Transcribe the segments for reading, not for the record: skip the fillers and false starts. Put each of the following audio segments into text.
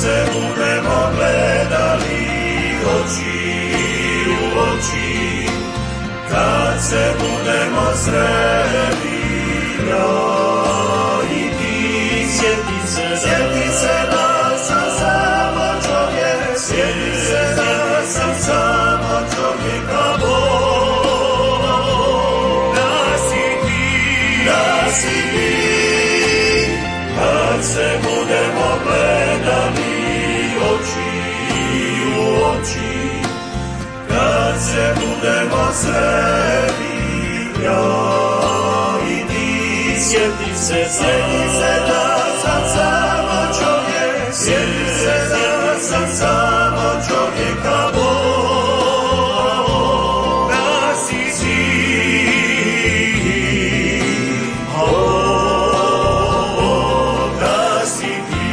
se budemo gledali oči u oči, kad se budemo sreli, ja i ti. Sjeti se da sam samo čovjek, sjeti se da sam samo čovjek, a Bog da si ti. Kad se budemo gledali oči u oči, kad se budemo sreli, ja i ti. Sjeti se da sam samo čovjek, sjeti se da sam samo čovjek, a Bog da si ti. Bog da si ti.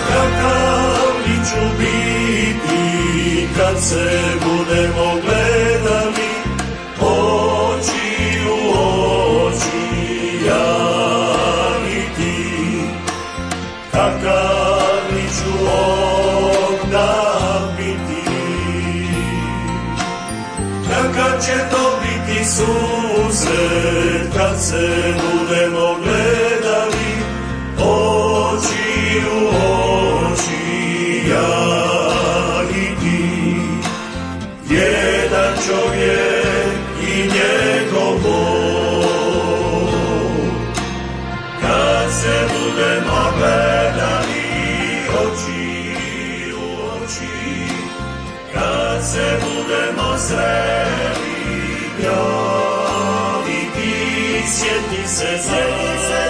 Kakav li ću biti kad se budemo gledali oči u oči, ja i ti. Kakav li ću onda biti, kakav će to biti susret kad se budemo gledali oči u oči, ja i ti. Jedan čovjek i njegov Bog. Kad se budemo gledali oči u oči, kad se budemo sreli, ja i ti. Sjeti se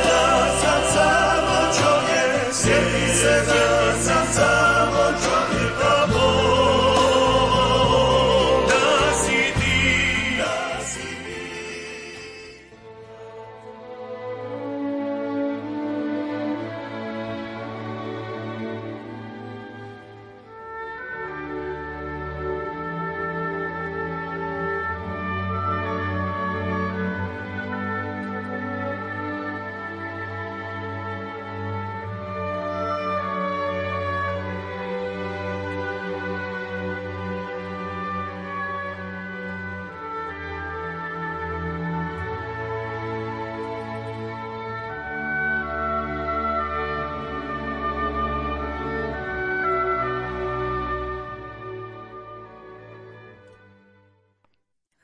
da sam samo čovjek, sjeti se da sam samo čovjek, a Bog da si ti, da si ti.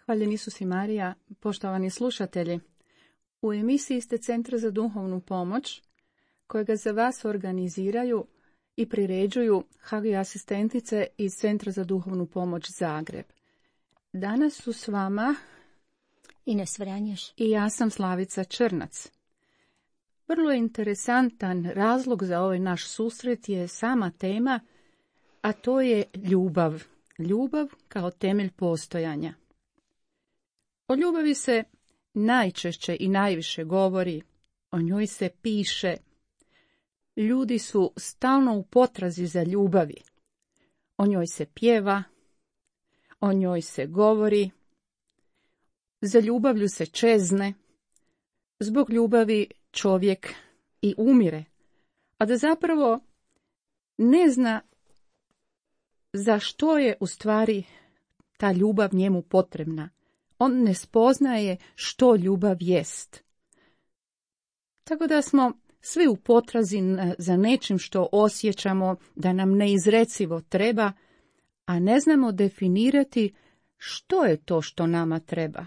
Hvaljen Isus i Marija, poštovani slušatelji. U emisiji ste Centra za duhovnu pomoć, kojega za vas organiziraju i priređuju HG asistentice iz Centra za duhovnu pomoć Zagreb. Danas su s vama Ines Vranješ i ja sam Slavica Črnac. Vrlo interesantan razlog za ovaj naš susret je sama tema, a to je ljubav. Ljubav kao temelj postojanja. O ljubavi se najčešće i najviše govori, o njoj se piše. Ljudi su stalno u potrazi za ljubavi. O njoj se pjeva, o njoj se govori, za ljubavlju se čezne, zbog ljubavi čovjek i umire, a da zapravo ne zna za što je u stvari ta ljubav njemu potrebna. On ne spoznaje što ljubav jest. Tako da smo svi u potrazi za nečim što osjećamo da nam neizrecivo treba, a ne znamo definirati što je to što nama treba.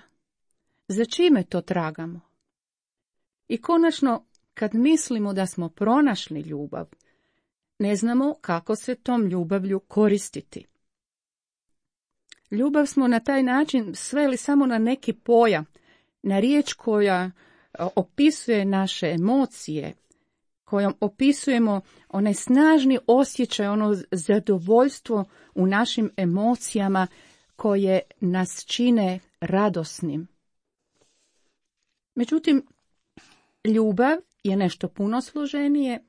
Za čime to tragamo? I konačno, kad mislimo da smo pronašli ljubav, ne znamo kako se tom ljubavlju koristiti. Ljubav smo na taj način sveli samo na neki pojam, na riječ koja opisuje naše emocije, kojom opisujemo onaj snažni osjećaj, ono zadovoljstvo u našim emocijama koje nas čine radosnim. Međutim, ljubav je nešto puno složenije,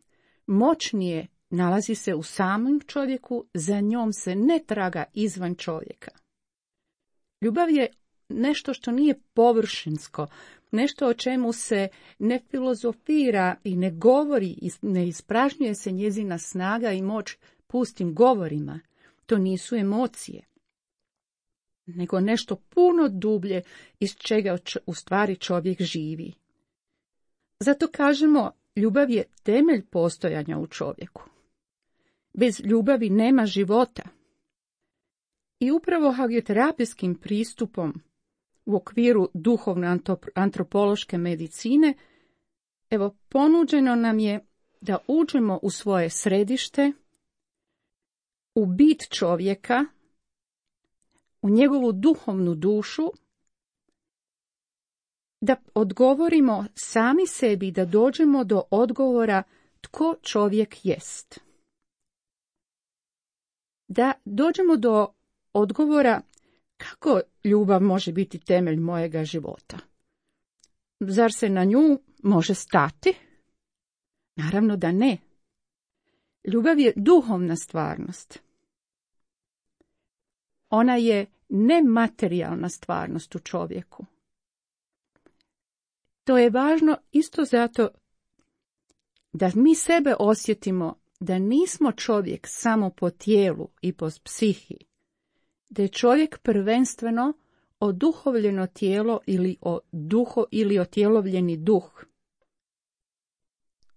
moćnije, nalazi se u samom čovjeku, za njom se ne traga izvan čovjeka. Ljubav je nešto što nije površinsko, nešto o čemu se ne filozofira i ne govori, ne ispražnjuje se njezina snaga i moć pustim govorima. To nisu emocije, nego nešto puno dublje iz čega u stvari čovjek živi. Zato kažemo, ljubav je temelj postojanja u čovjeku. Bez ljubavi nema života. I upravo hagioterapijskim pristupom u okviru duhovne antropološke medicine, evo, ponuđeno nam je da uđemo u svoje središte, u bit čovjeka, u njegovu duhovnu dušu, da odgovorimo sami sebi, da dođemo do odgovora tko čovjek jest. Da dođemo do odgovora kako ljubav može biti temelj mojega života. Zar se na nju može stati? Naravno da ne. Ljubav je duhovna stvarnost. Ona je nematerijalna stvarnost u čovjeku. To je važno isto zato da mi sebe osjetimo da nismo čovjek samo po tijelu i po psihi, da je čovjek prvenstveno oduhovljeno tijelo ili otjelovljeni duh.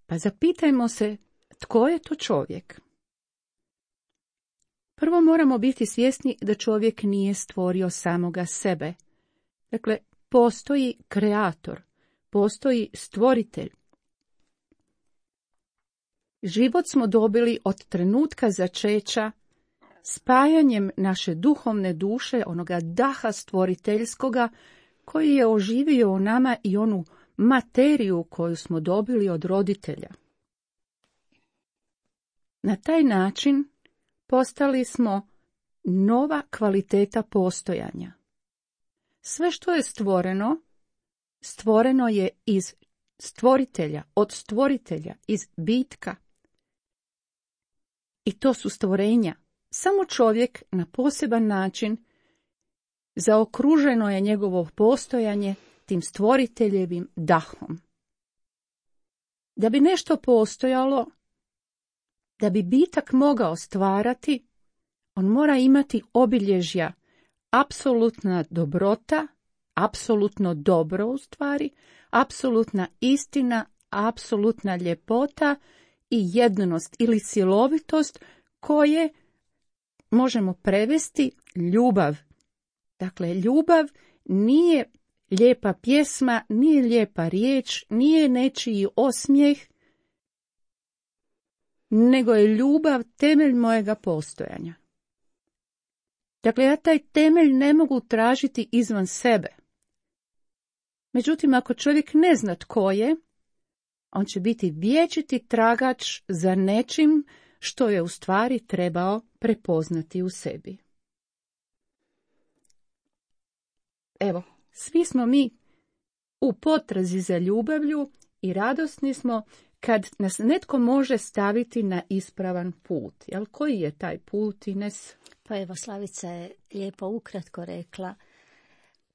Pa zapitajmo se tko je to čovjek. Prvo moramo biti svjesni da čovjek nije stvorio samoga sebe. Dakle, postoji kreator, postoji stvoritelj. Život smo dobili od trenutka začeća, spajanjem naše duhovne duše, onoga daha stvoriteljskoga, koji je oživio u nama i onu materiju koju smo dobili od roditelja. Na taj način postali smo nova kvaliteta postojanja. Sve što je stvoreno, stvoreno je iz stvoritelja, od stvoritelja, iz bitka. I to su stvorenja. Samo čovjek na poseban način zaokruženo je njegovo postojanje tim stvoriteljevim dahom. Da bi nešto postojalo, da bi bitak mogao stvarati, on mora imati obilježja apsolutna dobrota, apsolutno dobro u stvari, apsolutna istina, apsolutna ljepota i jednost ili cjelovitost koje možemo prevesti ljubav. Dakle, ljubav nije lijepa pjesma, nije lijepa riječ, nije nečiji osmijeh, nego je ljubav temelj mojega postojanja. Dakle, ja taj temelj ne mogu tražiti izvan sebe. Međutim, ako čovjek ne zna tko je, on će biti vječiti tragač za nečim što je u stvari trebao prepoznati u sebi. Evo, svi smo mi u potrazi za ljubavlju i radosni smo kad nas netko može staviti na ispravan put. Jel, koji je taj put, Ines? Pa evo, Slavica je lijepo ukratko rekla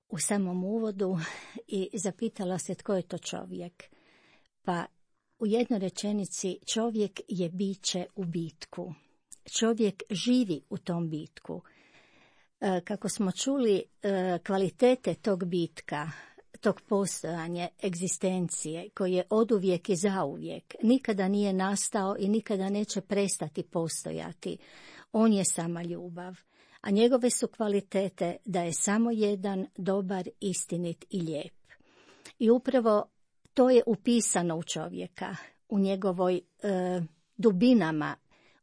u samom uvodu i zapitala se tko je to čovjek. Pa u jednoj rečenici čovjek je biće u bitku. Čovjek živi u tom bitku. Kako smo čuli, kvalitete tog bitka, tog postojanja, egzistencije, koji je oduvijek i zauvijek, nikada nije nastao i nikada neće prestati postojati. On je sama ljubav, a njegove su kvalitete da je samo jedan, dobar, istinit i lijep. I upravo to je upisano u čovjeka, u njegovoj dubinama.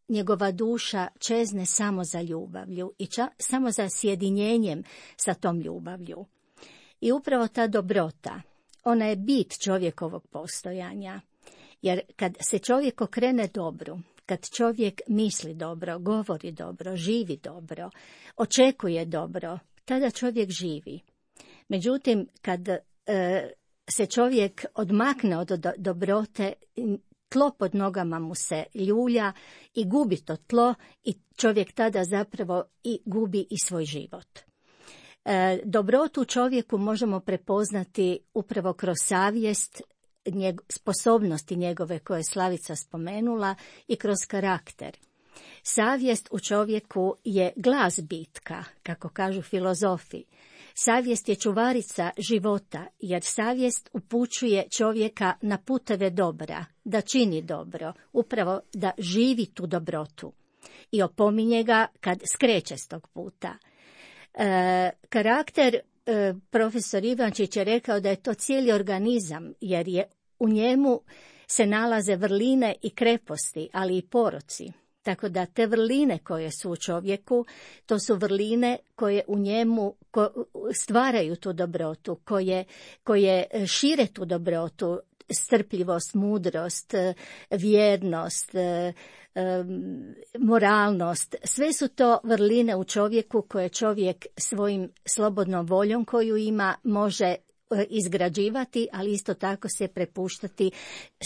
Njegova duša čezne samo za ljubavlju i samo za sjedinjenjem sa tom ljubavlju. I upravo ta dobrota, ona je bit čovjekovog postojanja. Jer kad se čovjek okrene dobru, kad čovjek misli dobro, govori dobro, živi dobro, očekuje dobro, tada čovjek živi. Međutim, kad se čovjek odmakne od dobrote, tlo pod nogama mu se ljulja i gubi to tlo i čovjek tada zapravo i gubi i svoj život. Dobrotu u čovjeku možemo prepoznati upravo kroz savjest, sposobnosti njegove koje je Slavica spomenula i kroz karakter. Savjest u čovjeku je glas bitka, kako kažu filozofi. Savjest je čuvarica života, jer savjest upućuje čovjeka na puteve dobra, da čini dobro, upravo da živi tu dobrotu i opominje ga kad skreće s tog puta. Karakter, profesor Ivančić je rekao da je to cijeli organizam, jer je u njemu se nalaze vrline i kreposti, ali i poroci. Tako da te vrline koje su u čovjeku, to su vrline koje u njemu stvaraju tu dobrotu, koje šire tu dobrotu, strpljivost, mudrost, vjernost, moralnost. Sve su to vrline u čovjeku koje čovjek svojim slobodnom voljom koju ima može izgrađivati, ali isto tako se prepuštati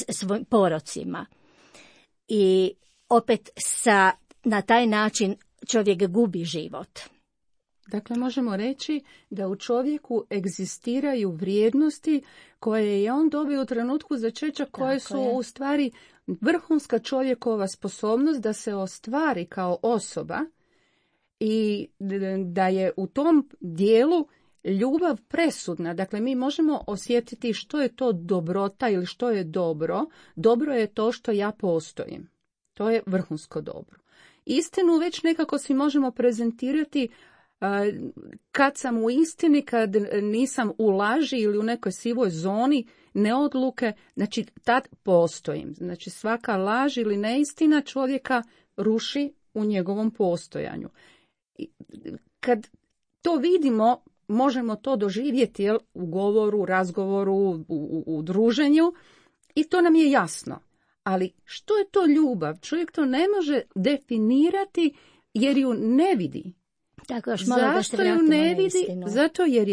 svojim porocima. I opet na taj način čovjek gubi život. Dakle, možemo reći da u čovjeku egzistiraju vrijednosti koje je on dobio u trenutku začeća, koje su u stvari vrhunska čovjekova sposobnost da se ostvari kao osoba i da je u tom dijelu ljubav presudna. Dakle, mi možemo osjetiti što je to dobrota ili što je dobro. Dobro je to što ja postojim. To je vrhunsko dobro. Istinu već nekako si možemo prezentirati kad sam u istini, kad nisam u laži ili u nekoj sivoj zoni neodluke, znači tad postojim. Znači svaka laž ili neistina čovjeka ruši u njegovom postojanju. Kad to vidimo, možemo to doživjeti u govoru, razgovoru, u druženju i to nam je jasno. Ali što je to ljubav? Čovjek to ne može definirati jer ju ne vidi. Tako, još malo da se vratimo ju ne na vidi? istinu. Zato jer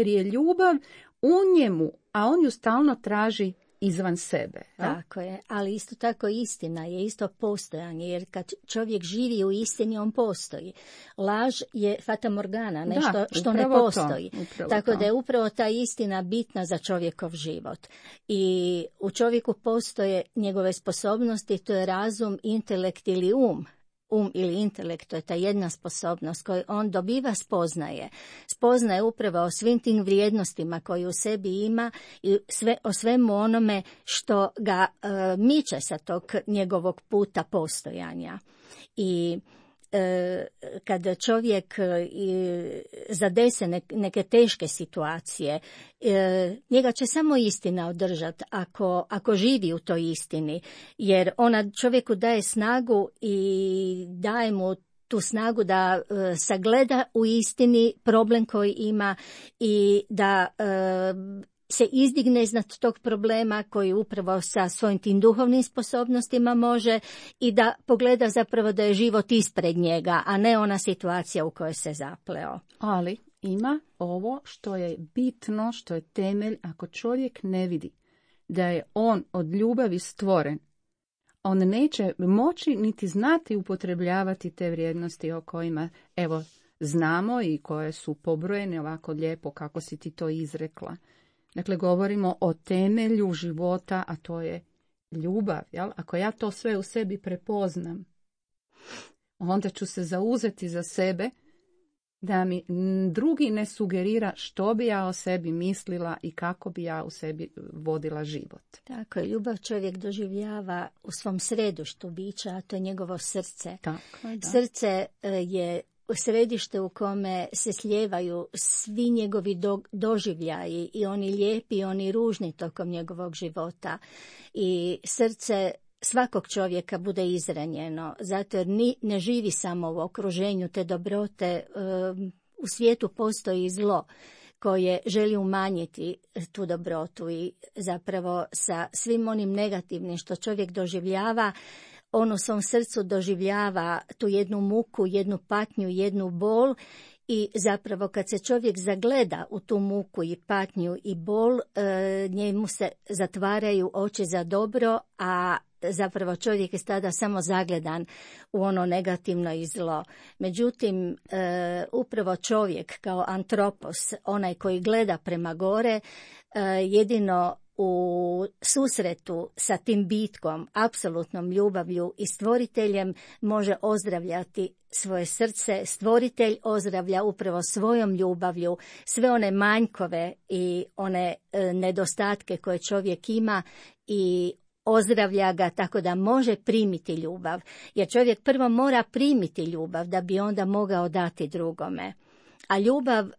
je ljubav u njemu, a on ju stalno traži izvan sebe. Tako je, ali isto tako istina je isto postojanje, jer kad čovjek živi u istini, on postoji. Laž je fatamorgana, nešto što ne postoji. Tako da je upravo ta istina bitna za čovjekov život. I u čovjeku postoje njegove sposobnosti, to je razum, intelekt ili um. Um ili intelekt, to je ta jedna sposobnost koju on dobiva, spoznaje upravo o svim tim vrijednostima koje u sebi ima i o svemu onome što ga miče sa tog njegovog puta postojanja. I kada čovjek zadese neke teške situacije, njega će samo istina održati ako živi u toj istini, jer ona čovjeku daje snagu i daje mu tu snagu da sagleda u istini problem koji ima i da se izdigne iznad tog problema koji upravo sa svojim tim duhovnim sposobnostima može i da pogleda zapravo da je život ispred njega, a ne ona situacija u kojoj se zapleo. Ali ima ovo što je bitno, što je temelj. Ako čovjek ne vidi da je on od ljubavi stvoren, on neće moći niti znati upotrebljavati te vrijednosti o kojima znamo i koje su pobrojene ovako lijepo kako si ti to izrekla. Dakle, govorimo o temelju života, a to je ljubav. Jel? Ako ja to sve u sebi prepoznam, onda ću se zauzeti za sebe da mi drugi ne sugerira što bi ja o sebi mislila i kako bi ja u sebi vodila život. Tako je, ljubav čovjek doživljava u svom središtu bića, a to je njegovo srce. Tako je, da. Srce je središte u kome se slijevaju svi njegovi doživljaji, i oni lijepi i oni ružni tokom njegovog života. I srce svakog čovjeka bude izranjeno, zato jer ne živi samo u okruženju te dobrote. U svijetu postoji zlo koje želi umanjiti tu dobrotu i zapravo sa svim onim negativnim što čovjek doživljava, on u svom srcu doživljava tu jednu muku, jednu patnju, jednu bol i zapravo kad se čovjek zagleda u tu muku i patnju i bol, njemu se zatvaraju oči za dobro, a zapravo čovjek je tada samo zagledan u ono negativno i zlo. Međutim, upravo čovjek kao antropos, onaj koji gleda prema gore, jedino u susretu sa tim bitkom, apsolutnom ljubavlju i stvoriteljem može ozdravljati svoje srce. Stvoritelj ozdravlja upravo svojom ljubavlju sve one manjkove i one nedostatke koje čovjek ima i ozdravlja ga tako da može primiti ljubav. Jer čovjek prvo mora primiti ljubav da bi onda mogao dati drugome. A ljubav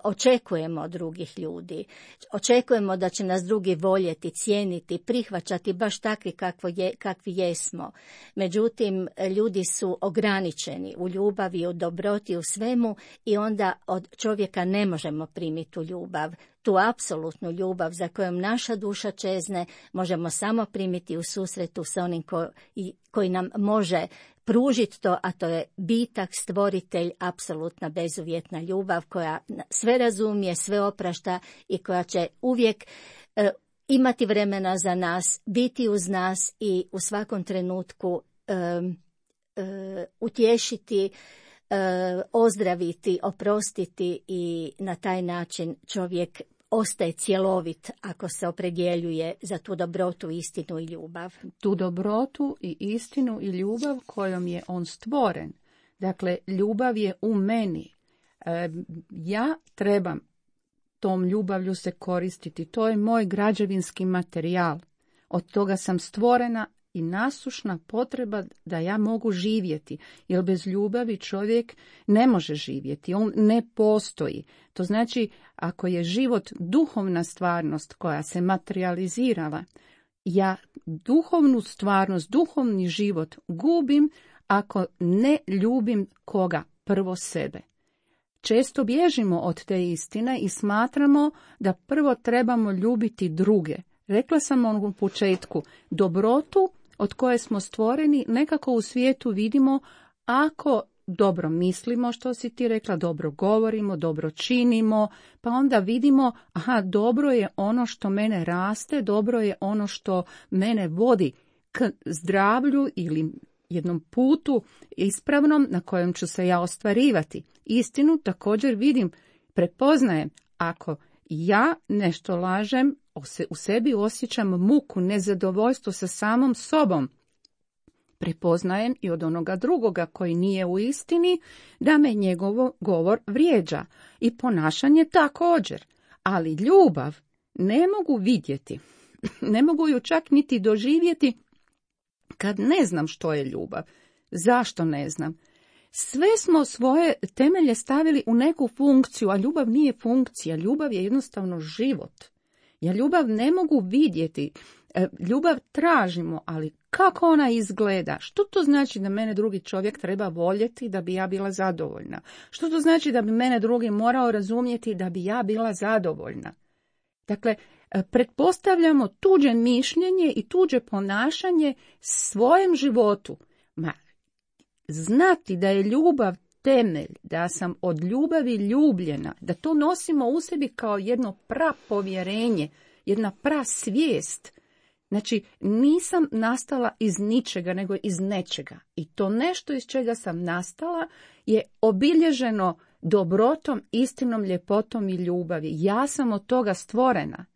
očekujemo od drugih ljudi. Očekujemo da će nas drugi voljeti, cijeniti, prihvaćati baš takvi kakvi jesmo. Međutim, ljudi su ograničeni u ljubavi, u dobroti, u svemu i onda od čovjeka ne možemo primiti tu ljubav. Tu apsolutnu ljubav za kojom naša duša čezne možemo samo primiti u susretu sa onim koji nam može pružiti to, a to je bitak, stvoritelj, apsolutna bezuvjetna ljubav koja sve razumije, sve oprašta i koja će uvijek imati vremena za nas, biti uz nas i u svakom trenutku utješiti, ozdraviti, oprostiti i na taj način čovjek ostaje cjelovit ako se opredjeljuje za tu dobrotu, istinu i ljubav. Tu dobrotu i istinu i ljubav kojom je on stvoren. Dakle, ljubav je u meni. Ja trebam tom ljubavlju se koristiti. To je moj građevinski materijal. Od toga sam stvorena i nasušna potreba da ja mogu živjeti. Jer bez ljubavi čovjek ne može živjeti. On ne postoji. To znači, ako je život duhovna stvarnost koja se materializirala, ja duhovnu stvarnost, duhovni život gubim ako ne ljubim koga? Prvo sebe. Često bježimo od te istine i smatramo da prvo trebamo ljubiti druge. Rekla sam u početku, dobrotu od koje smo stvoreni nekako u svijetu vidimo ako dobro mislimo, što si ti rekla, dobro govorimo, dobro činimo, pa onda vidimo, dobro je ono što mene raste, dobro je ono što mene vodi k zdravlju ili jednom putu ispravnom na kojem ću se ja ostvarivati. Istinu također vidim, prepoznajem, ako ja nešto lažem, u sebi osjećam muku, nezadovoljstvo sa samom sobom. Prepoznajem i od onoga drugoga koji nije u istini da me njegov govor vrijeđa i ponašanje također. Ali ljubav ne mogu vidjeti, ne mogu ju čak niti doživjeti kad ne znam što je ljubav. Zašto ne znam? Sve smo svoje temelje stavili u neku funkciju, a ljubav nije funkcija, ljubav je jednostavno život. Ja ljubav ne mogu vidjeti, ljubav tražimo, ali kako ona izgleda? Što to znači da mene drugi čovjek treba voljeti da bi ja bila zadovoljna? Što to znači da bi mene drugi morao razumjeti da bi ja bila zadovoljna? Dakle, pretpostavljamo tuđe mišljenje i tuđe ponašanje svojem životu. Znati da je ljubav temelj, da sam od ljubavi ljubljena, da to nosimo u sebi kao jedno prapovjerenje, jedna prasvijest. Znači, nisam nastala iz ničega, nego iz nečega. I to nešto iz čega sam nastala je obilježeno dobrotom, istinom, ljepotom i ljubavi. Ja sam od toga stvorena.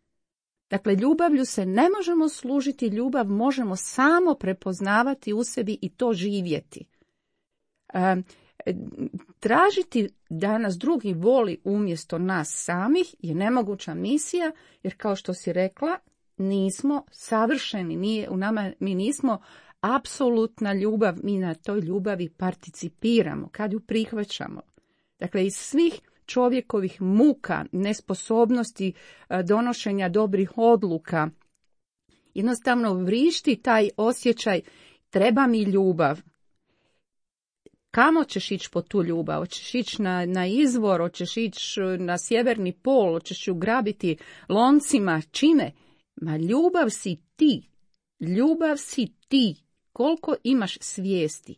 Dakle, ljubavlju se ne možemo služiti, ljubav možemo samo prepoznavati u sebi i to živjeti. Tražiti da nas drugi voli umjesto nas samih je nemoguća misija, jer kao što si rekla, nismo savršeni, nije u nama, mi nismo apsolutna ljubav, mi na toj ljubavi participiramo kad ju prihvaćamo. Dakle, iz svih čovjekovih muka, nesposobnosti donošenja dobrih odluka, jednostavno vrišti taj osjećaj treba mi ljubav. Kamo ćeš ići po tu ljubav? Hoćeš ići na izvor, hoćeš ići na sjeverni pol, hoćeš ju grabiti loncima, čime? Ma ljubav si ti. Ljubav si ti. Koliko imaš svijesti,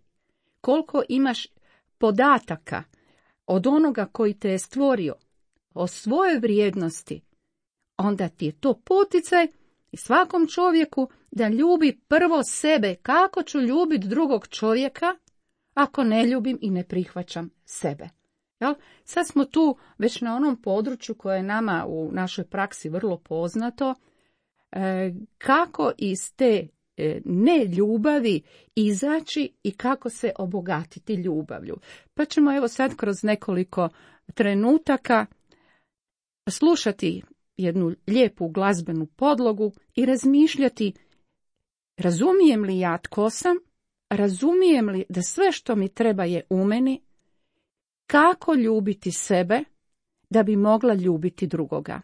koliko imaš podataka od onoga koji te je stvorio, o svojoj vrijednosti, onda ti je to poticaj i svakom čovjeku da ljubi prvo sebe. Kako ću ljubiti drugog čovjeka ako ne ljubim i ne prihvaćam sebe? Jel? Sad smo tu već na onom području koje je nama u našoj praksi vrlo poznato, kako iz te neljubavi izaći i kako se obogatiti ljubavlju. Pa ćemo evo sad kroz nekoliko trenutaka slušati jednu lijepu glazbenu podlogu i razmišljati, razumijem li ja tko sam, razumijem li da sve što mi treba je u meni, kako ljubiti sebe da bi mogla ljubiti drugoga.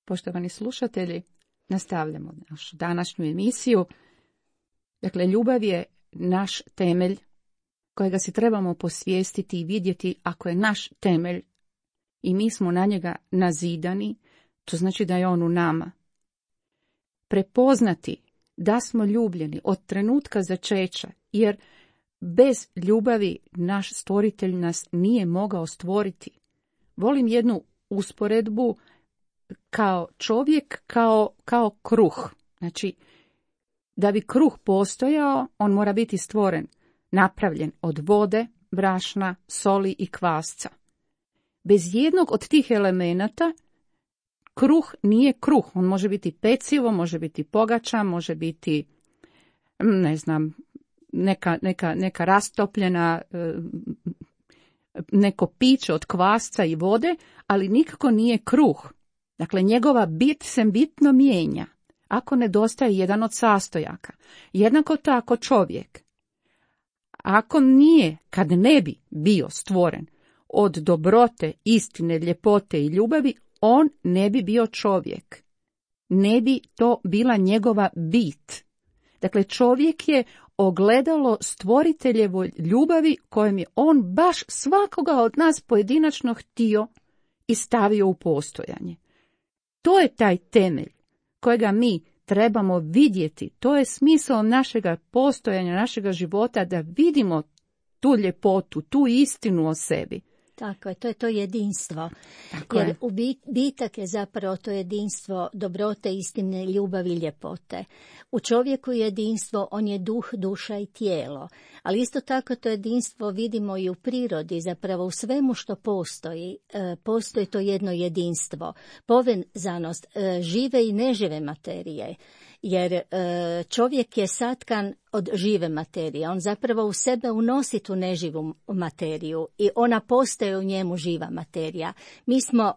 Poštovani slušatelji, nastavljamo našu današnju emisiju. Dakle, ljubav je naš temelj kojega si trebamo posvijestiti i vidjeti. Ako je naš temelj i mi smo na njega nazidani, to znači da je on u nama. Prepoznati da smo ljubljeni od trenutka začeća, jer bez ljubavi naš stvoritelj nas nije mogao stvoriti. Volim jednu usporedbu kao čovjek, kao kruh. Znači, da bi kruh postojao, on mora biti stvoren, napravljen od vode, brašna, soli i kvasca. Bez jednog od tih elemenata kruh nije kruh. On može biti pecivo, može biti pogača, može biti, ne znam, neka rastopljena neko piće od kvasca i vode, ali nikako nije kruh. Dakle, njegova bit se bitno mijenja ako nedostaje jedan od sastojaka. Jednako tako čovjek, ako nije, kad ne bi bio stvoren od dobrote, istine, ljepote i ljubavi, on ne bi bio čovjek. Ne bi to bila njegova bit. Dakle, čovjek je ogledalo stvoriteljevoj ljubavi kojem je on baš svakoga od nas pojedinačno htio i stavio u postojanje. To je taj temelj kojega mi trebamo vidjeti. To je smisao našega postojanja, našega života, da vidimo tu ljepotu, tu istinu o sebi. Tako je, to je to jedinstvo. Tako jer je. Bitak je zapravo to jedinstvo dobrote, istine, ljubavi i ljepote. U čovjeku je jedinstvo, on je duh, duša i tijelo. Ali isto tako to jedinstvo vidimo i u prirodi, zapravo u svemu što postoji. Postoji to jedno jedinstvo, povezanost žive i nežive materije. Jer čovjek je satkan od žive materije. On zapravo u sebe unosi tu neživu materiju i ona postaje u njemu živa materija. Mi smo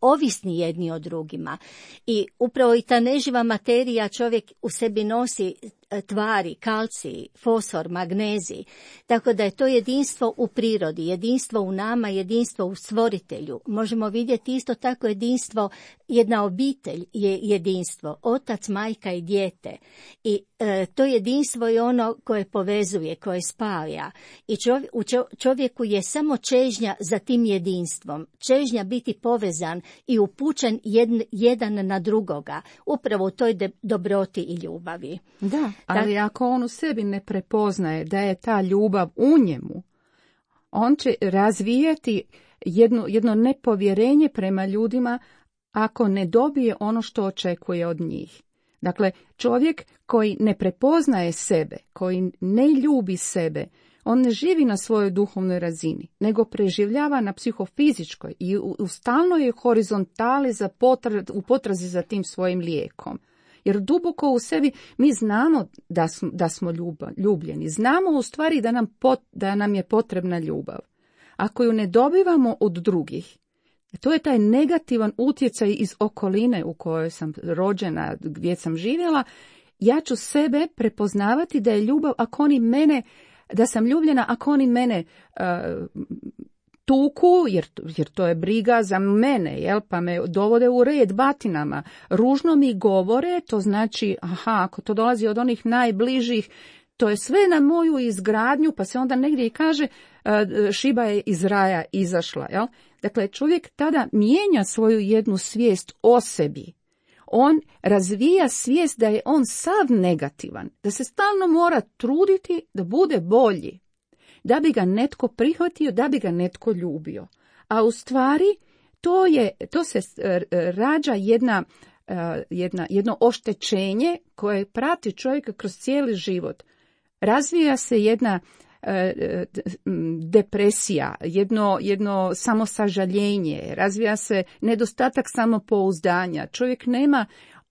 ovisni jedni od drugima i upravo i ta neživa materija, čovjek u sebi nosi tvari, kalcij, fosfor, magnezij, tako da je to jedinstvo u prirodi, jedinstvo u nama, jedinstvo u stvoritelju. Možemo vidjeti isto tako jedinstvo, jedna obitelj je jedinstvo, otac, majka i dijete. I to jedinstvo je ono koje povezuje, koje spaja. I u čovjeku je samo čežnja za tim jedinstvom, čežnja biti povezan i upućen jedan na drugoga, upravo u toj dobroti i ljubavi. Da, ali ako on u sebi ne prepoznaje da je ta ljubav u njemu, on će razvijati jedno nepovjerenje prema ljudima ako ne dobije ono što očekuje od njih. Dakle, čovjek koji ne prepoznaje sebe, koji ne ljubi sebe, on ne živi na svojoj duhovnoj razini, nego preživljava na psihofizičkoj i u stalnoj horizontali u potrazi za tim svojim lijekom. Jer duboko u sebi mi znamo da smo ljubljeni, znamo u stvari da nam je potrebna ljubav. Ako ju ne dobivamo od drugih, to je taj negativan utjecaj iz okoline u kojoj sam rođena, gdje sam živjela, ja ću sebe prepoznavati da je ljubav ako oni mene, da sam ljubljena ako oni mene tuku, jer to je briga za mene, jel? Pa me dovode u red batinama. Ružno mi govore, to znači, ako to dolazi od onih najbližih, to je sve na moju izgradnju, pa se onda negdje i kaže šiba je iz raja izašla. Jel? Dakle, čovjek tada mijenja svoju jednu svijest o sebi. On razvija svijest da je on sav negativan, da se stalno mora truditi da bude bolji, da bi ga netko prihvatio, da bi ga netko ljubio. A u stvari to se rađa jedno oštećenje koje prati čovjeka kroz cijeli život. Razvija se jedna depresija, jedno samosažaljenje, razvija se nedostatak samopouzdanja. Čovjek nema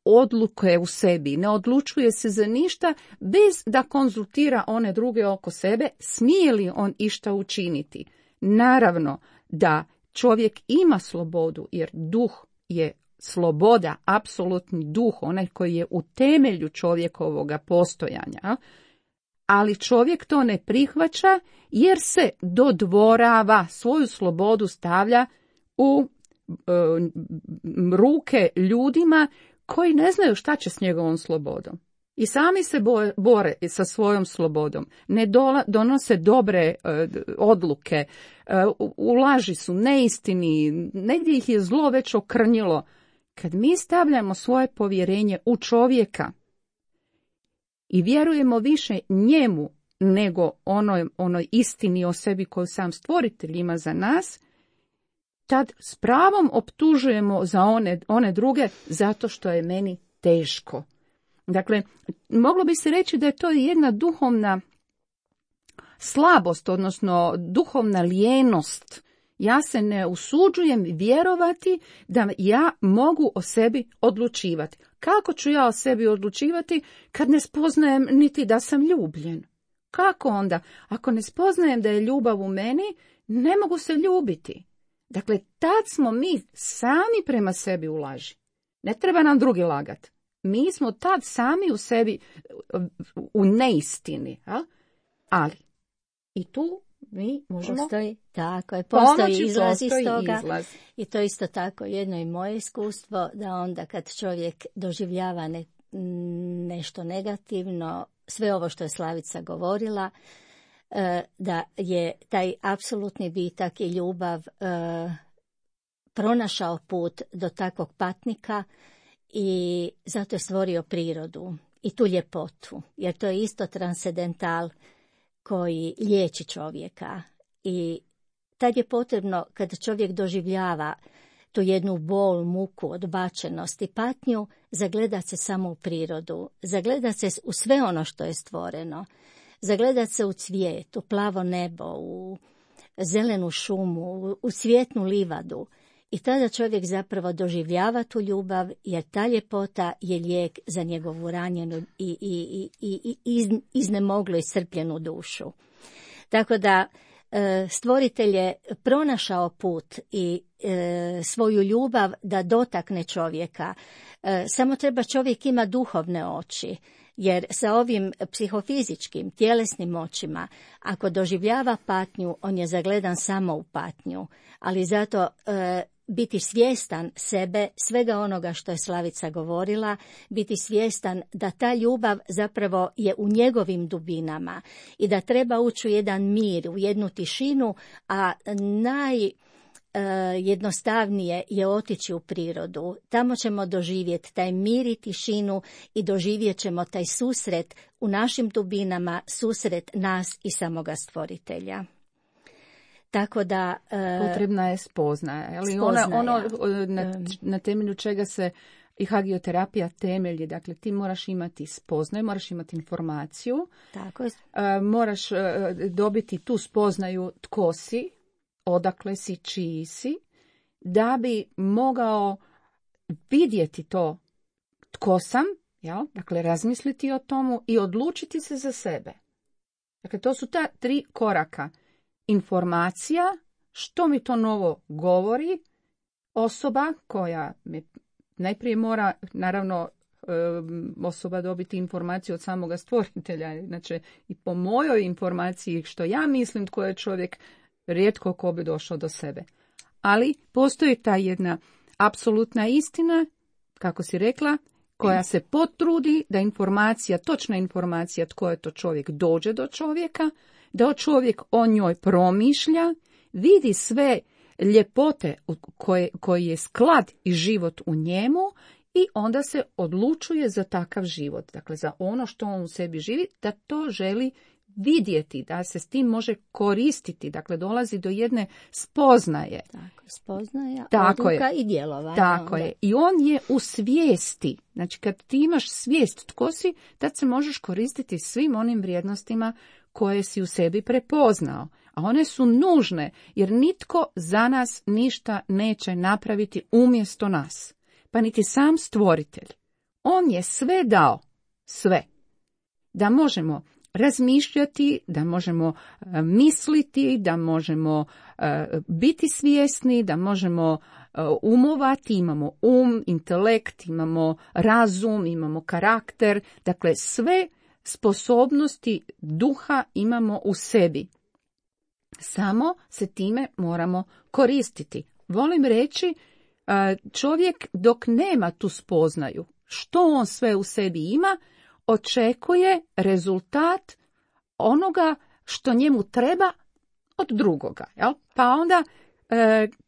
odluke u sebi, ne odlučuje se za ništa bez da konzultira one druge oko sebe, smije li on išta učiniti. Naravno da čovjek ima slobodu, jer duh je sloboda, apsolutni duh, onaj koji je u temelju čovjekovoga postojanja, ali čovjek to ne prihvaća jer se dodvorava, svoju slobodu stavlja u ruke ljudima koji ne znaju šta će s njegovom slobodom. I sami se bore sa svojom slobodom. Ne donose dobre odluke, u laži su, neistini, negdje ih je zlo već okrnjilo. Kad mi stavljamo svoje povjerenje u čovjeka i vjerujemo više njemu nego onoj istini o sebi koju sam stvoritelj ima za nas, tad s pravom optužujemo za one druge zato što je meni teško. Dakle, moglo bi se reći da je to jedna duhovna slabost, odnosno duhovna lijenost. Ja se ne usuđujem vjerovati da ja mogu o sebi odlučivati. Kako ću ja o sebi odlučivati kad ne spoznajem niti da sam ljubljen? Kako onda? Ako ne spoznajem da je ljubav u meni, ne mogu se ljubiti. Dakle, tad smo mi sami prema sebi u laži. Ne treba nam drugi lagat. Mi smo tad sami u sebi u neistini. A? Ali, i tu mi možemo... Postoji izlaz iz toga. Izlaz. I to isto tako jedno i moje iskustvo, da onda kad čovjek doživljava nešto negativno, sve ovo što je Slavica govorila, da je taj apsolutni bitak i ljubav pronašao put do takvog patnika i zato je stvorio prirodu i tu ljepotu, jer to je isto transcendental koji liječi čovjeka. I tad je potrebno, kad čovjek doživljava tu jednu bol, muku, odbačenost i patnju, zagledat se samo u prirodu, zagledat se u sve ono što je stvoreno, zagledat se u cvijet, u plavo nebo, u zelenu šumu, u cvjetnu livadu. I tada čovjek zapravo doživljava tu ljubav, jer ta ljepota je lijek za njegovu ranjenu i iznemoglu iscrpljenu dušu. Tako da stvoritelj je pronašao put i svoju ljubav da dotakne čovjeka. Samo treba čovjek ima duhovne oči, jer sa ovim psihofizičkim, tjelesnim očima, ako doživljava patnju, on je zagledan samo u patnju, ali zato biti svjestan sebe, svega onoga što je Slavica govorila, biti svjestan da ta ljubav zapravo je u njegovim dubinama i da treba ući u jedan mir, u jednu tišinu, a najjednostavnije je otići u prirodu. Tamo ćemo doživjeti taj mir i tišinu i doživjet ćemo taj susret u našim dubinama, susret nas i samoga stvoritelja. Tako da potrebna je spoznaja, ali na temelju čega se i hagioterapija temelji. Dakle, ti moraš imati spoznaju, moraš imati informaciju, tako je. Moraš dobiti tu spoznaju tko si, odakle si, čiji si, da bi mogao vidjeti to tko sam, jel? Dakle, razmisliti o tomu i odlučiti se za sebe. Dakle, to su ta 3 koraka. Informacija, što mi to novo govori, osoba koja najprije mora, naravno, osoba dobiti informaciju od samoga stvoritelja. Znači, i po mojoj informaciji, što ja mislim tko je čovjek, rijetko ko bi došao do sebe. Ali postoji ta jedna apsolutna istina, kako si rekla, koja se potrudi da informacija, točna informacija tko je to čovjek, dođe do čovjeka, da čovjek o njoj promišlja, vidi sve ljepote koji je sklad i život u njemu i onda se odlučuje za takav život. Dakle, za ono što on u sebi živi, da to želi vidjeti, da se s tim može koristiti. Dakle, dolazi do jedne spoznaje. Tako, spoznaja, tako odluka je. I djelovanja. Tako je. I on je u svijesti. Znači, kad ti imaš svijest tko si, tad se možeš koristiti svim onim vrijednostima koje si u sebi prepoznao. A one su nužne, jer nitko za nas ništa neće napraviti umjesto nas. Pa niti sam stvoritelj. On je sve dao. Sve. Da možemo razmišljati, da možemo misliti, da možemo biti svjesni, da možemo umovati, imamo intelekt, imamo razum, imamo karakter, dakle sve sposobnosti duha imamo u sebi. Samo se time moramo koristiti. Volim reći, čovjek dok nema tu spoznaju, što on sve u sebi ima, očekuje rezultat onoga što njemu treba od drugoga. Jel? Pa onda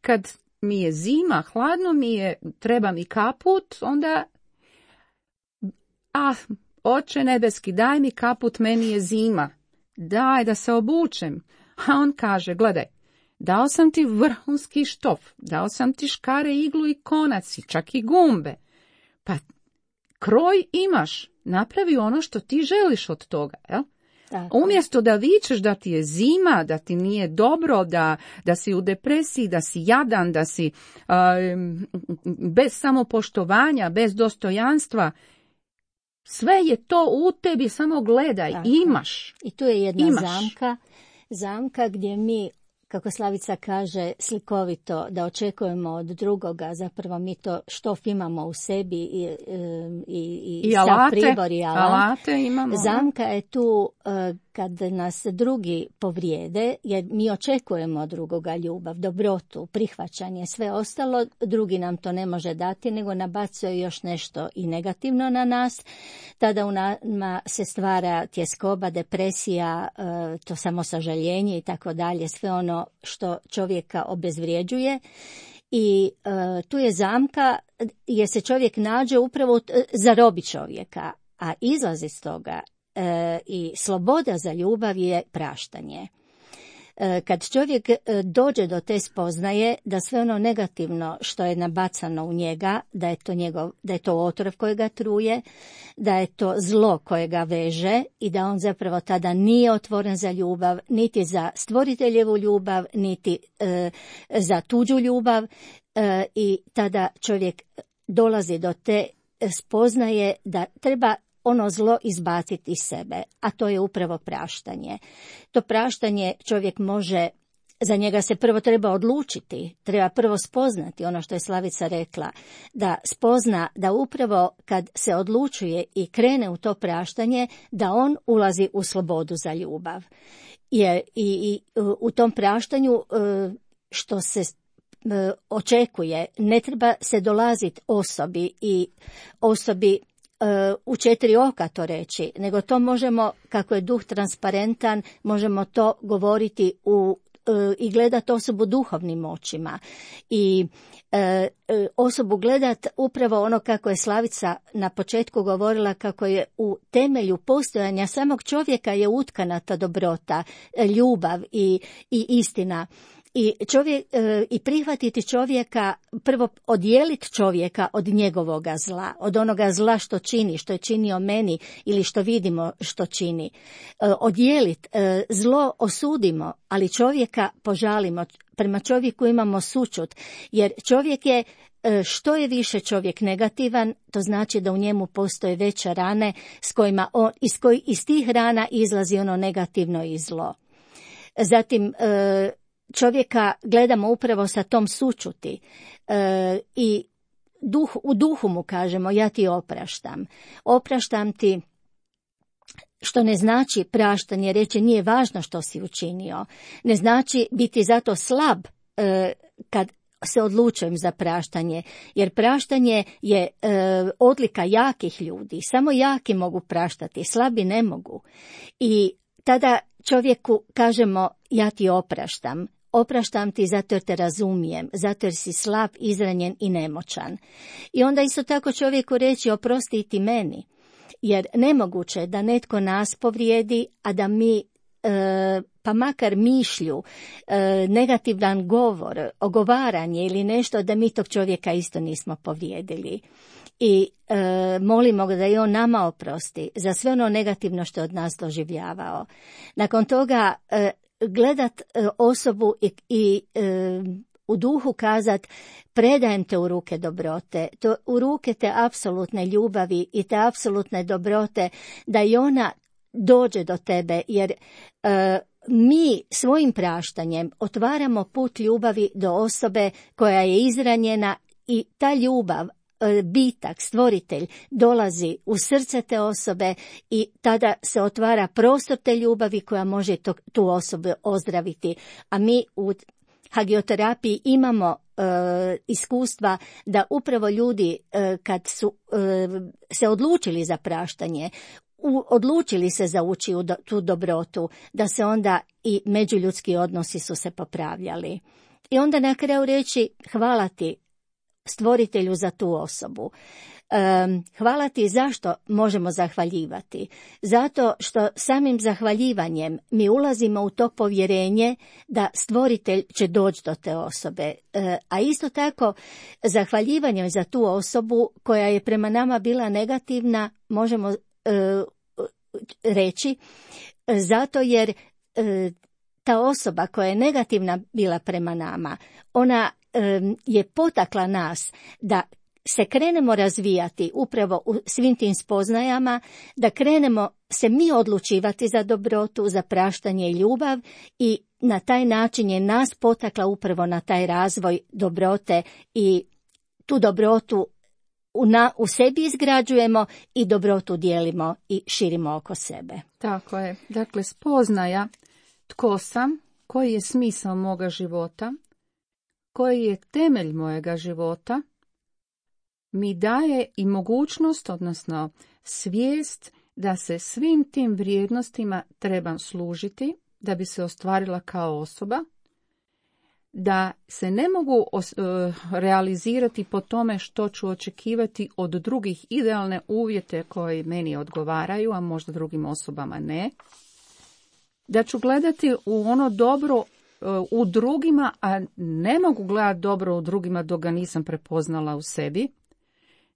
kad mi je zima, hladno mi je, treba mi kaput, onda Oče nebeski, daj mi kaput, meni je zima. Daj da se obučem. A on kaže, gledaj, dao sam ti vrhunski štof, dao sam ti škare, iglu i konac i čak i gumbe. Pa kroj imaš, napravi ono što ti želiš od toga, jel? Umjesto da vičeš da ti je zima, da ti nije dobro, da si u depresiji, da si jadan, da si bez samopoštovanja, bez dostojanstva, Sve je to u tebi, samo gledaj, Tako. imaš. I tu je jedna Imaš. zamka gdje mi, kako Slavica kaže slikovito, da očekujemo od drugoga, zapravo mi to što imamo u sebi i sav alate, pribor i alate imamo. Zamka je tu kad nas drugi povrijede, jer mi očekujemo od drugoga ljubav, dobrotu, prihvaćanje, sve ostalo, drugi nam to ne može dati, nego nabacuje još nešto i negativno na nas. Tada u nama se stvara tjeskoba, depresija, to samosažaljenje i tako dalje, sve ono što čovjeka obezvrijeđuje. I tu je zamka jer se čovjek nađe upravo zarobi čovjeka, a izlaz iz toga i sloboda za ljubav je praštanje. Kad čovjek dođe do te spoznaje da sve ono negativno što je nabacano u njega, da je to otrov koji ga truje, da je to zlo koje ga veže i da on zapravo tada nije otvoren za ljubav, niti za stvoriteljevu ljubav, niti za tuđu ljubav, i tada čovjek dolazi do te spoznaje da treba ono zlo izbaciti iz sebe, a to je upravo praštanje. To praštanje čovjek može, za njega se prvo treba odlučiti, treba prvo spoznati ono što je Slavica rekla, da spozna da upravo kad se odlučuje i krene u to praštanje, da on ulazi u slobodu za ljubav. Jer i u tom praštanju što se očekuje, ne treba se dolaziti osobi u 4 oka to reći, nego to možemo, kako je duh transparentan, možemo to govoriti i gledati osobu duhovnim očima i osobu gledati upravo ono kako je Slavica na početku govorila, kako je u temelju postojanja samog čovjeka je utkana ta dobrota, ljubav i istina. I prihvatiti čovjeka, prvo odijeliti čovjeka od njegovoga zla, od onoga zla što čini, što je činio meni ili što vidimo što čini. Odijeliti, zlo osudimo, ali čovjeka požalimo, prema čovjeku imamo sućut, jer čovjek je, što je više čovjek negativan, to znači da u njemu postoje veće rane s kojima iz tih rana izlazi ono negativno i zlo. Zatim, čovjeka gledamo upravo sa tom sućuti i u duhu mu kažemo ja ti opraštam. Opraštam ti, što ne znači praštanje, reći nije važno što si učinio. Ne znači biti zato slab kad se odlučujem za praštanje, jer praštanje je odlika jakih ljudi. Samo jaki mogu praštati, slabi ne mogu. I tada čovjeku kažemo ja ti opraštam. Opraštam ti zato jer te razumijem, zato jer si slab, izranjen i nemoćan. I onda isto tako čovjeku reći oprosti ti meni, jer nemoguće je da netko nas povrijedi, a da mi pa makar mišlju, negativan govor, ogovaranje ili nešto, da mi tog čovjeka isto nismo povrijedili. I molimo ga da i on nama oprosti za sve ono negativno što je od nas doživljavao. Nakon toga gledat osobu i u duhu kazat predajem te u ruke dobrote, u ruke te apsolutne ljubavi i te apsolutne dobrote, da i ona dođe do tebe, jer mi svojim praštanjem otvaramo put ljubavi do osobe koja je izranjena i ta ljubav, bitak, stvoritelj, dolazi u srce te osobe i tada se otvara prostor te ljubavi koja može tu osobu ozdraviti. A mi u hagioterapiji imamo iskustva da upravo ljudi kad su se odlučili za praštanje, odlučili se za ući u tu dobrotu, da se onda i međuljudski odnosi su se popravljali. I onda na kraju reći hvala ti stvoritelju za tu osobu. Hvala ti. Zašto možemo zahvaljivati? Zato što samim zahvaljivanjem mi ulazimo u to povjerenje da stvoritelj će doći do te osobe. A isto tako zahvaljivanjem za tu osobu koja je prema nama bila negativna možemo reći zato jer ta osoba koja je negativna bila prema nama, ona je potakla nas da se krenemo razvijati upravo u svim tim spoznajama, da krenemo se mi odlučivati za dobrotu, za praštanje i ljubav i na taj način je nas potakla upravo na taj razvoj dobrote i tu dobrotu u sebi izgrađujemo i dobrotu dijelimo i širimo oko sebe. Tako je. Dakle, spoznaja tko sam, koji je smisao moga života, koji je temelj mojega života, mi daje i mogućnost, odnosno svijest da se svim tim vrijednostima trebam služiti da bi se ostvarila kao osoba, da se ne mogu realizirati po tome što ću očekivati od drugih idealne uvjete koji meni odgovaraju, a možda drugim osobama ne, da ću gledati u ono dobro u drugima, a ne mogu gledati dobro u drugima dok ga nisam prepoznala u sebi,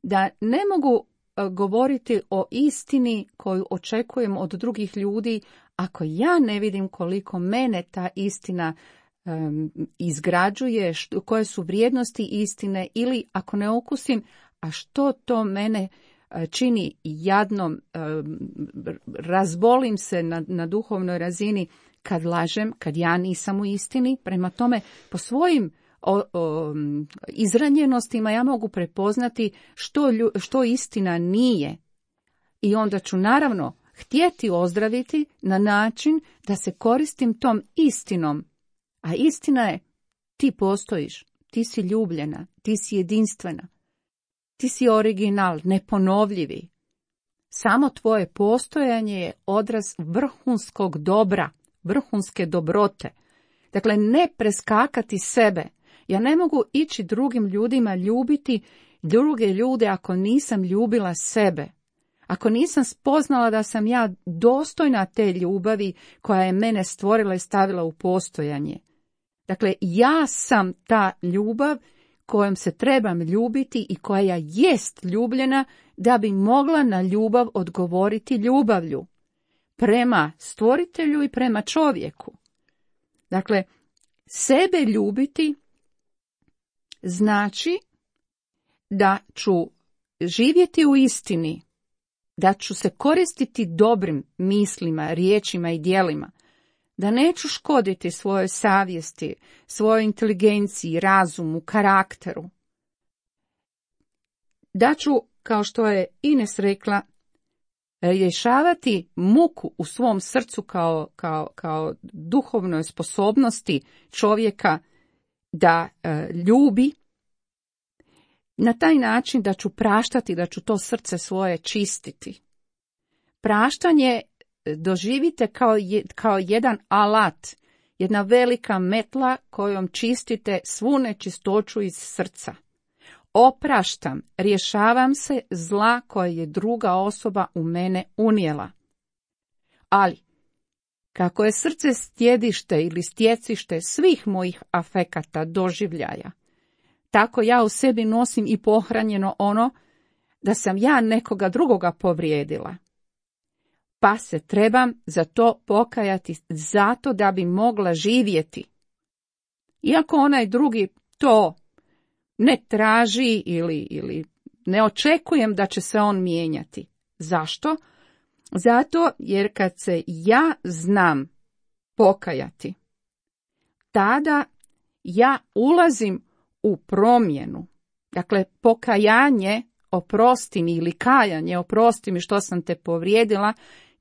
da ne mogu govoriti o istini koju očekujem od drugih ljudi ako ja ne vidim koliko mene ta istina izgrađuje, koje su vrijednosti istine, ili ako ne okusim, a što to mene čini jadnom, razbolim se na duhovnoj razini kad lažem, kad ja nisam u istini. Prema tome, po svojim izranjenostima ja mogu prepoznati što istina nije. I onda ću naravno htjeti ozdraviti na način da se koristim tom istinom. A istina je, ti postojiš, ti si ljubljena, ti si jedinstvena, ti si original, neponovljivi. Samo tvoje postojanje je odraz vrhunskog dobra, vrhunske dobrote. Dakle, ne preskakati sebe. Ja ne mogu ići drugim ljudima ljubiti druge ljude ako nisam ljubila sebe. Ako nisam spoznala da sam ja dostojna te ljubavi koja je mene stvorila i stavila u postojanje. Dakle, ja sam ta ljubav kojom se trebam ljubiti i koja jest ljubljena da bi mogla na ljubav odgovoriti ljubavlju prema stvoritelju i prema čovjeku. Dakle, sebe ljubiti znači da ću živjeti u istini, da ću se koristiti dobrim mislima, riječima i djelima, da neću škoditi svojoj savjesti, svojoj inteligenciji, razumu, karakteru. Da ću, kao što je Ines rekla, rješavati muku u svom srcu kao duhovnoj sposobnosti čovjeka da ljubi, na taj način da ću praštati, da ću to srce svoje čistiti. Praštanje doživite kao jedan alat, jedna velika metla kojom čistite svu nečistoću iz srca. Opraštam, rješavam se zla koje je druga osoba u mene unijela. Ali, kako je srce stjedište ili stjecište svih mojih afekata, doživljaja, tako ja u sebi nosim i pohranjeno ono da sam ja nekoga drugoga povrijedila. Pa se trebam za to pokajati zato da bi mogla živjeti. Iako onaj drugi to ne traži ili ne očekujem da će se on mijenjati. Zašto? Zato jer kad se ja znam pokajati, tada ja ulazim u promjenu. Dakle, pokajanje, oprosti mi, ili kajanje, oprosti mi što sam te povrijedila,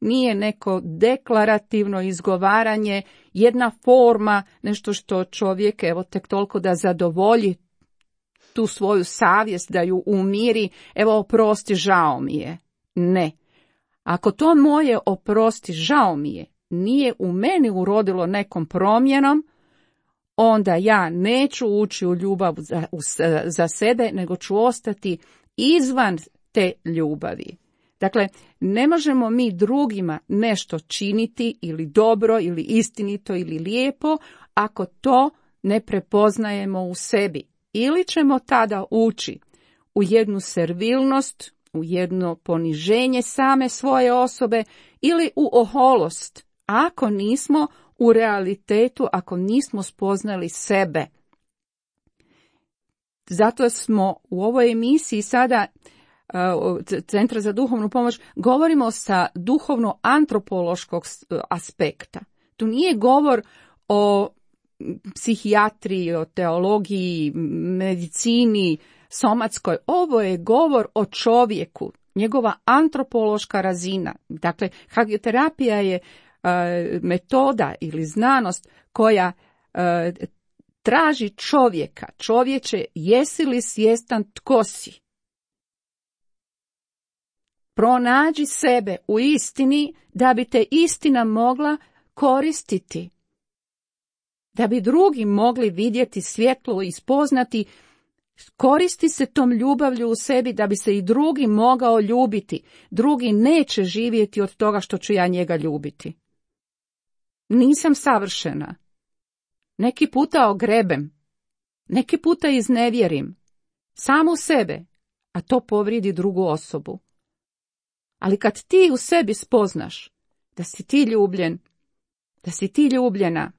nije neko deklarativno izgovaranje, jedna forma, nešto što čovjek, evo, tek toliko da zadovolji tu svoju savjest, da ju umiri, evo, oprosti, žao mi je. Ne. Ako to moje oprosti, žao mi je, nije u meni urodilo nekom promjenom, onda ja neću ući u ljubav za sebe, nego ću ostati izvan te ljubavi. Dakle, ne možemo mi drugima nešto činiti ili dobro ili istinito ili lijepo ako to ne prepoznajemo u sebi. Ili ćemo tada ući u jednu servilnost, u jedno poniženje same svoje osobe ili u oholost, ako nismo u realitetu, ako nismo spoznali sebe. zato smo u ovoj emisiji sada Centra za duhovnu pomoć govorimo sa duhovno-antropološkog aspekta. Tu nije govor o psihijatriji, o teologiji, medicini, somatskoj. Ovo je govor o čovjeku, njegova antropološka razina. Dakle, hagioterapija je metoda ili znanost koja traži čovjeka. Čovječe, jesi li svjestan tko si? Pronađi sebe u istini da bi te istina mogla koristiti. Da bi drugi mogli vidjeti svjetlo i spoznati, koristi se tom ljubavlju u sebi da bi se i drugi mogao ljubiti. Drugi neće živjeti od toga što ću ja njega ljubiti. Nisam savršena. Neki puta ogrebem. Neki puta iznevjerim. Samu sebe, a to povrijedi drugu osobu. Ali kad ti u sebi spoznaš da si ti ljubljen, da si ti ljubljena,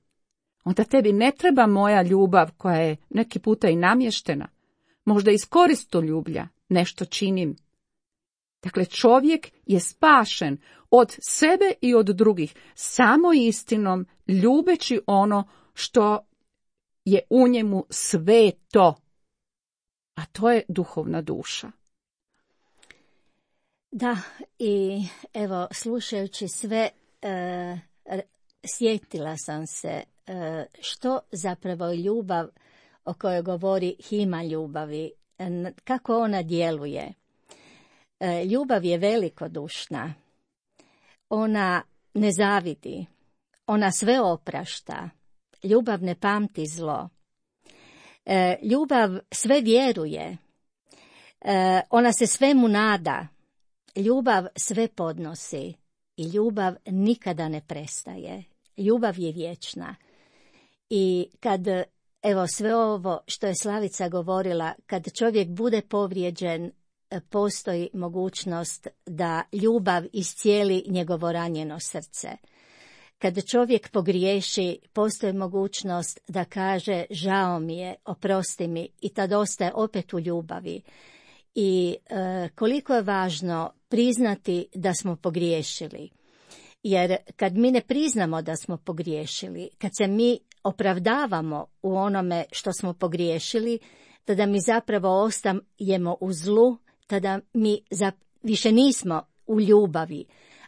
onda tebi ne treba moja ljubav koja je neki puta i namještena. Možda iz koristoljublja nešto činim. Dakle, čovjek je spašen od sebe i od drugih samo istinom, ljubeći ono što je u njemu sveto, a to je duhovna duša. Da, i evo, slušajući sve, sjetila sam se što zapravo ljubav o kojoj govori Hima ljubavi, kako ona djeluje. Ljubav je velikodušna, ona ne zavidi, ona sve oprašta, ljubav ne pamti zlo, ljubav sve vjeruje, ona se svemu nada, ljubav sve podnosi i ljubav nikada ne prestaje. Ljubav je vječna. I kad, evo sve ovo što je Slavica govorila, kad čovjek bude povrijeđen, postoji mogućnost da ljubav iscijeli njegovo ranjeno srce. Kad čovjek pogriješi, postoji mogućnost da kaže žao mi je, oprosti mi, i tad ostaje opet u ljubavi. I koliko je važno priznati da smo pogriješili. Jer kad mi ne priznamo da smo pogriješili, kad se mi opravdavamo u onome što smo pogriješili, tada mi zapravo ostajemo u zlu, tada mi više nismo u ljubavi.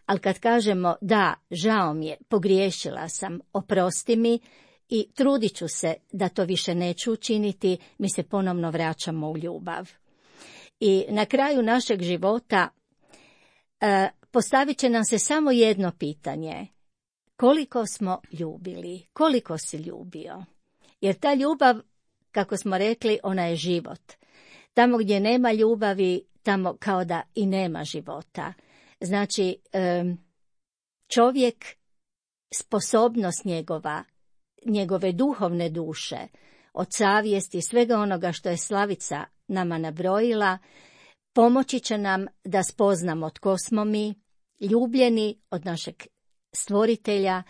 Ali kad kažemo da, žao mi je, pogriješila sam, oprosti mi i trudit ću se da to više neću učiniti, mi se ponovno vraćamo u ljubav. I na kraju našeg života postavit će nam se samo jedno pitanje. Koliko smo ljubili? Koliko si ljubio? Jer ta ljubav, kako smo rekli, ona je život. Tamo gdje nema ljubavi, tamo kao da i nema života. Znači, čovjek, sposobnost njegove duhovne duše, od savjesti, svega onoga što je Slavica nama nabrojila, pomoći će nam da spoznamo tko smo mi, ljubljeni od našeg stvoritelja,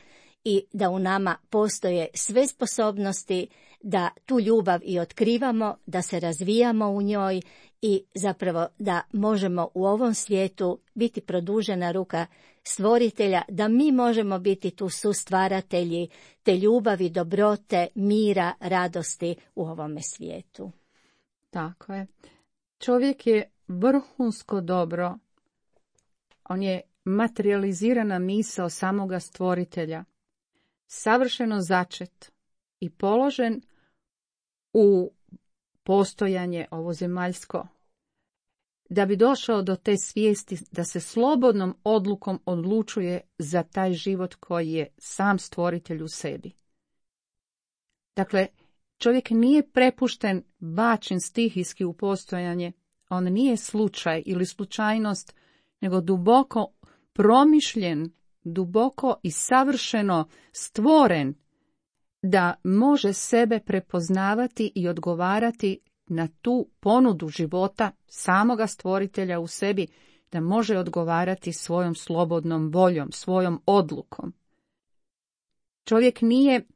i da u nama postoje sve sposobnosti da tu ljubav i otkrivamo, da se razvijamo u njoj i zapravo da možemo u ovom svijetu biti produžena ruka stvoritelja, da mi možemo biti tu sustvaratelji te ljubavi, dobrote, mira, radosti u ovome svijetu. Tako je. Čovjek je vrhunsko dobro. On je materializirana misao samoga stvoritelja, savršeno začet i položen u postojanje ovozemaljsko, da bi došao do te svijesti da se slobodnom odlukom odlučuje za taj život koji je sam stvoritelj u sebi. Dakle, čovjek nije prepušten, bačen stihijski u postojanje, on nije slučaj ili slučajnost, nego duboko promišljen, duboko i savršeno stvoren da može sebe prepoznavati i odgovarati na tu ponudu života samoga stvoritelja u sebi, da može odgovarati svojom slobodnom voljom, svojom odlukom. Čovjek nije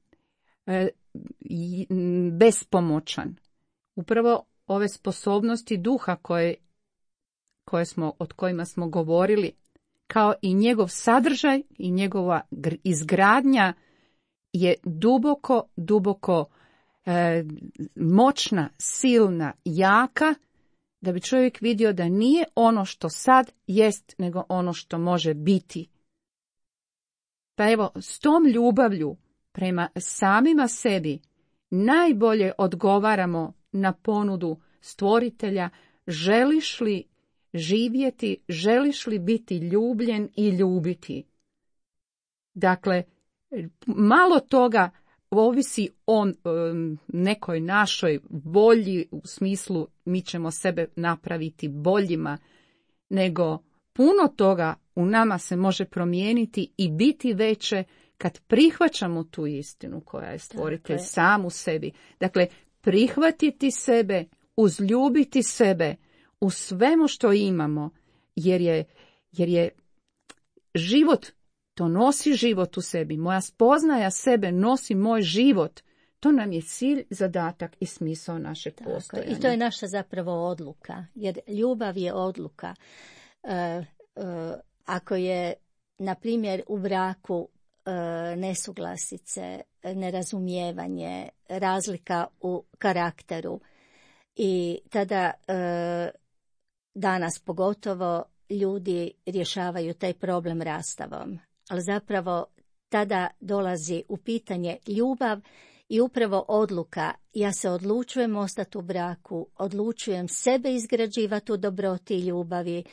bespomoćan. Upravo ove sposobnosti duha o kojima smo govorili, kao i njegov sadržaj i njegova izgradnja je duboko moćna, silna, jaka, da bi čovjek vidio da nije ono što sad jest, nego ono što može biti. Pa evo, s tom ljubavlju prema samima sebi najbolje odgovaramo na ponudu Stvoritelja: želiš li živjeti, želiš li biti ljubljen i ljubiti? Dakle, malo toga ovisi o nekoj našoj volji, u smislu mi ćemo sebe napraviti boljima, nego puno toga u nama se može promijeniti i biti veće kad prihvaćamo tu istinu koja je Stvoritelj sam u sebi. Dakle, prihvatiti sebe, uzljubiti sebe u svemu što imamo, jer je život, to nosi život u sebi. Moja spoznaja sebe nosi moj život. To nam je cilj, zadatak i smisao našeg postojanja. I to je naša zapravo odluka, jer ljubav je odluka. Ako je, na primjer, u braku nesuglasice, nerazumijevanje, razlika u karakteru, i tada danas pogotovo ljudi rješavaju taj problem rastavom. Ali zapravo tada dolazi u pitanje ljubav i upravo odluka. Ja se odlučujem ostati u braku, odlučujem sebe izgrađivati u dobroti i ljubavi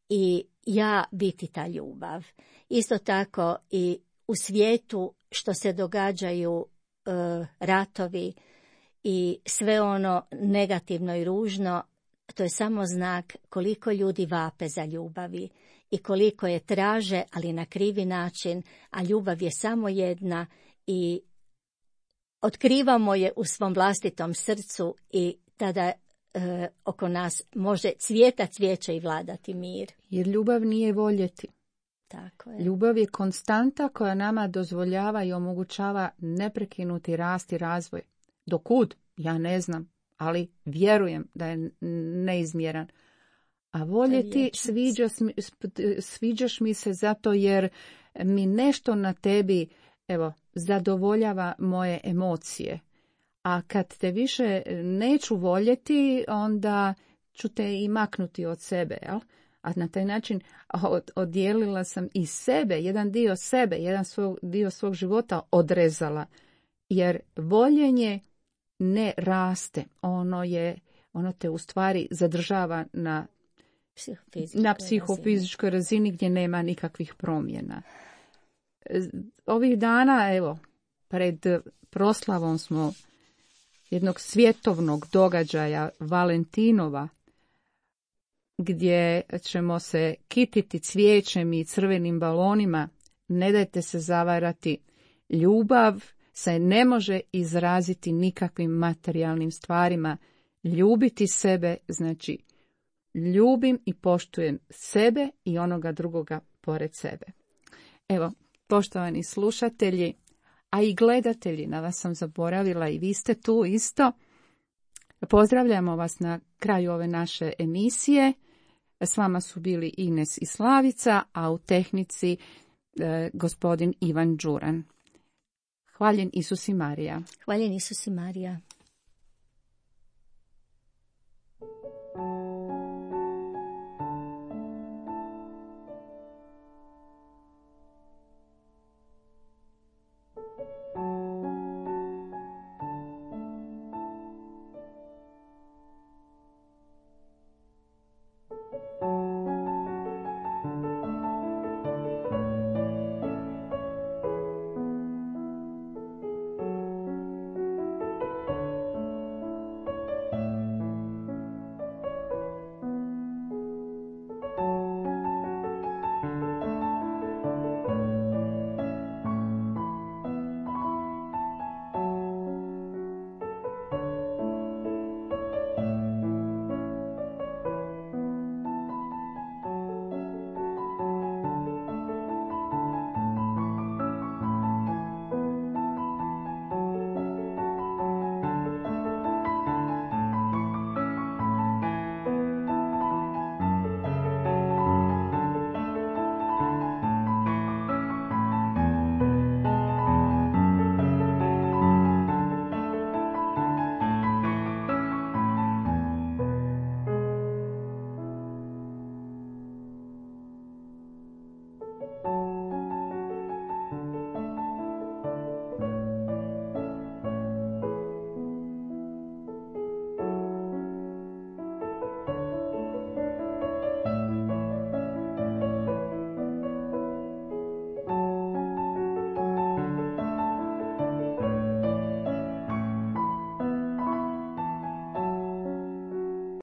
i ja biti ta ljubav. Isto tako i u svijetu što se događaju ratovi i sve ono negativno i ružno, to je samo znak koliko ljudi vape za ljubavi i koliko je traže, ali na krivi način, a ljubav je samo jedna i otkrivamo je u svom vlastitom srcu i tada oko nas može cvjeta cvijeće i vladati mir. Jer ljubav nije voljeti. Tako je. Ljubav je konstanta koja nama dozvoljava i omogućava neprekinuti rast i razvoj. Dokud? Ja ne znam, ali vjerujem da je neizmjeran. A voljeti, sviđaš mi se zato jer mi nešto na tebi, evo, zadovoljava moje emocije. A kad te više neću voljeti, onda ću te i maknuti od sebe, jel? A na taj način odijelila sam i sebe, jedan dio sebe, dio svog života odrezala. Jer voljenje ne raste, ono te u stvari zadržava na psihofizičkoj razini gdje nema nikakvih promjena. Ovih dana, evo, pred proslavom smo jednog svjetovnog događaja Valentinova, gdje ćemo se kititi cvijećem i crvenim balonima. Ne dajte se zavarati, ljubav se ne može izraziti nikakvim materijalnim stvarima. Ljubiti sebe znači ljubim i poštujem sebe i onoga drugoga pored sebe. Evo, poštovani slušatelji, a i gledatelji, na vas sam zaboravila i vi ste tu isto. Pozdravljamo vas na kraju ove naše emisije. S vama su bili Ines i Slavica, a u tehnici gospodin Ivan Đuran. Hvaljen Isus i Marija. Hvaljen Isus i Marija.